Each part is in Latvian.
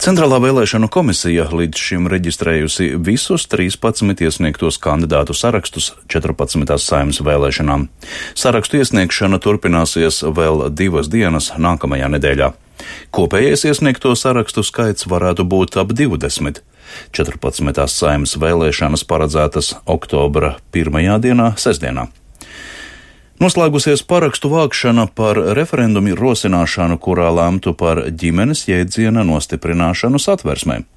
Centrālā vēlēšanu komisija līdz šim reģistrējusi visus 13 iesniegtos kandidātu sarakstus 14. Saeimas vēlēšanām. Sarakstu iesniegšana turpināsies vēl 2 dienas nākamajā nedēļā. Kopējais iesniegto sarakstu skaits varētu būt ap 20. 14. Saeimas vēlēšanas paredzētas oktobra 1. dienā, sestdienā. Noslēgusies parakstu vākšana par referendumu rosināšanu, kurā lemtu par ģimenes jēdziena nostiprināšanu Satversmē.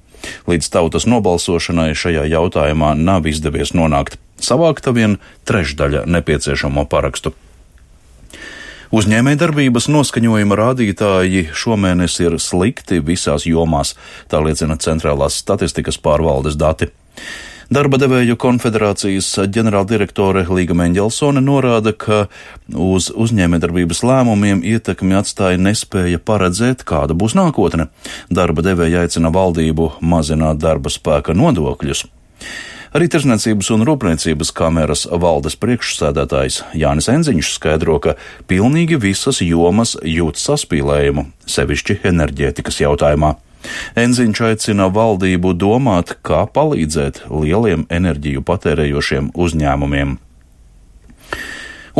Līdz tautas nobalsošanai šajā jautājumā nav izdevies nonākt. Savākta vien trešdaļa nepieciešamo parakstu. Uzņēmējdarbības noskaņojuma rādītāji šomēnes ir slikti visās jomās, tā liecina Centrālās statistikas pārvaldes dati. Darba devēju konfederācijas ģenerāldirektore Līga Meņģelsone norāda, ka uz uzņēmējdarbības lēmumiem ietekmi atstāja nespēja paredzēt, kāda būs nākotne. Darba devēja aicina valdību mazināt darba spēka nodokļus. Arī Tirdzniecības un Rūpniecības kameras valdes priekšsēdētājs Jānis Enziņš skaidro, ka pilnīgi visas jomas jūt saspīlējumu, sevišķi enerģētikas jautājumā. Enziņš aicina valdību domāt, kā palīdzēt lieliem enerģiju patērējošiem uzņēmumiem.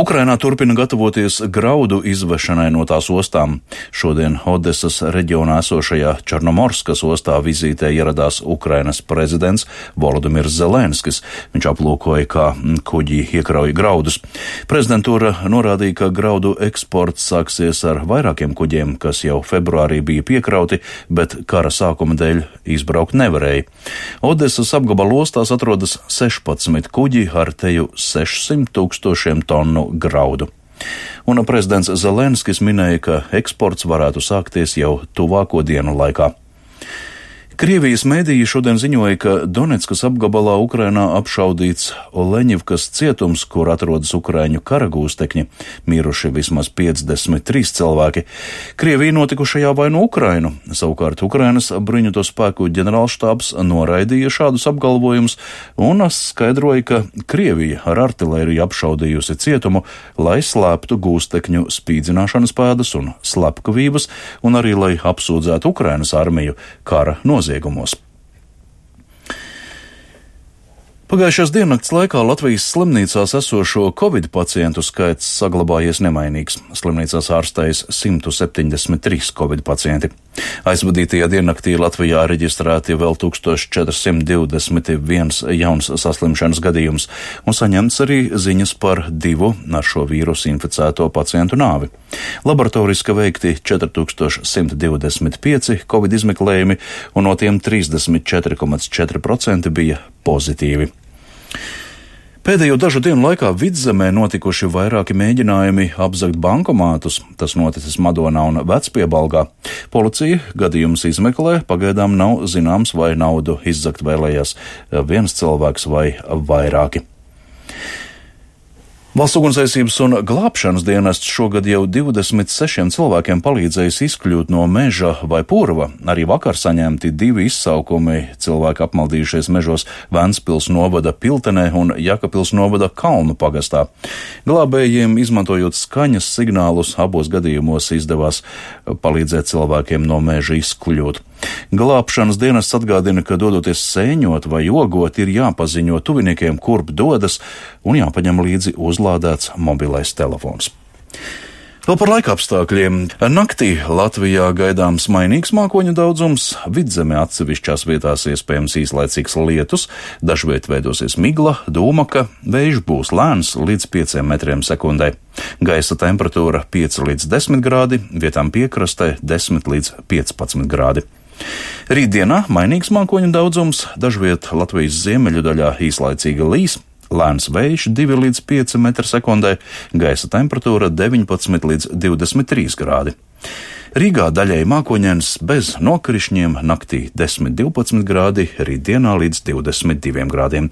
Ukrainā turpina gatavoties graudu izvešanai no tās ostām. Šodien Odesas reģionā esošajā Černomorskas ostā vizītē ieradās Ukrainas prezidents Volodimirs Zelenskis. Viņš aplūkoja, kā kuģi iekrauj graudus. Prezidentūra norādīja, ka graudu eksports sāksies ar vairākiem kuģiem, kas jau februārī bija piekrauti, bet kara sākuma dēļ izbraukt nevarēja. Odesas apgabala ostās atrodas 16 kuģi ar teju 600 000 tonu graudu. Un prezidents Zelenskis minēja, ka eksports varētu sākties jau tuvāko dienu laikā. Krievijas mēdīji šodien ziņoja, ka Donetskas apgabalā Ukrainā apšaudīts Oleņivkas cietums, kur atrodas ukraiņu karagūstekņi, miruši vismaz 53 cilvēki. Krievija notikušajā vaino Ukrainu, savukārt Ukrainas bruņoto spēku ģenerālštābs noraidīja šādus apgalvojumus un skaidroja, ka Krievija ar artilēriju apšaudījusi cietumu, lai slēptu gūstekņu spīdzināšanas pēdas un slepkavības, un arī lai apsūdzētu Ukrainas armiju kara noziegumos. Pagājušās diennakts laikā Latvijas slimnīcās esošo Covid pacientu skaits saglabājies nemainīgs. Slimnīcās ārstējas 173 Covid pacienti. Aizvadītajā diennaktī Latvijā reģistrēti vēl 1421 jauns saslimšanas gadījums, un saņemts arī ziņas par 2 ar šo vīrusu inficēto pacientu nāvi. Laboratoriski veikti 4125 Covid izmeklējumi, un no tiem 34,4% bija pozitīvi. Pēdējo dažu dienu laikā Vidzemē notikuši vairāki mēģinājumi apzagt bankomātus. Tas noticis Madonā un Vecpiebalgā. Policija gadījumus izmeklē, pagaidām nav zināms, vai naudu izzagt vēlējās viens cilvēks vai vairāki. Valsts ugunsdzēsības un glābšanas dienests šogad jau 26 cilvēkiem palīdzējis izkļūt no meža vai purva. Arī vakar saņemti 2 izsaukumi, cilvēki apmaldījušies mežos Ventspils novada Piltenē un Jakapils novada Kalnu pagastā. Glābējiem, izmantojot skaņas signālus, abos gadījumos izdevās palīdzēt cilvēkiem no meža izkļūt. Glābšanas dienests atgādina, ka dodoties sēņot vai jogot, ir jāpaziņo tuviniekiem, kurp dodas, un jāpaņem līdzi uzlādēts mobilais telefons. Vēl par laikapstākļiem. Naktī Latvijā gaidāms mainīgs mākoņu daudzums, Vidzemē atsevišķās vietās iespējams īslaicīgs lietus, dažviet veidosies migla, dūmaka, vējš būs lēns līdz 5 metriem sekundē. Gaisa temperatūra 5 līdz 10 grādi, vietām piekrastē 10 līdz 15 grādi. Rītdienā mainīgs mākoņu daudzums, dažviet Latvijas ziemeļu daļā īslaicīga līs, lēns vējš 2 līdz 5 metri sekundē, gaisa temperatūra 19 līdz 23 grādi. Rīgā daļēji mākoņains bez nokrišņiem, naktī 10–12 grādi, rītdienā līdz 22 grādiem.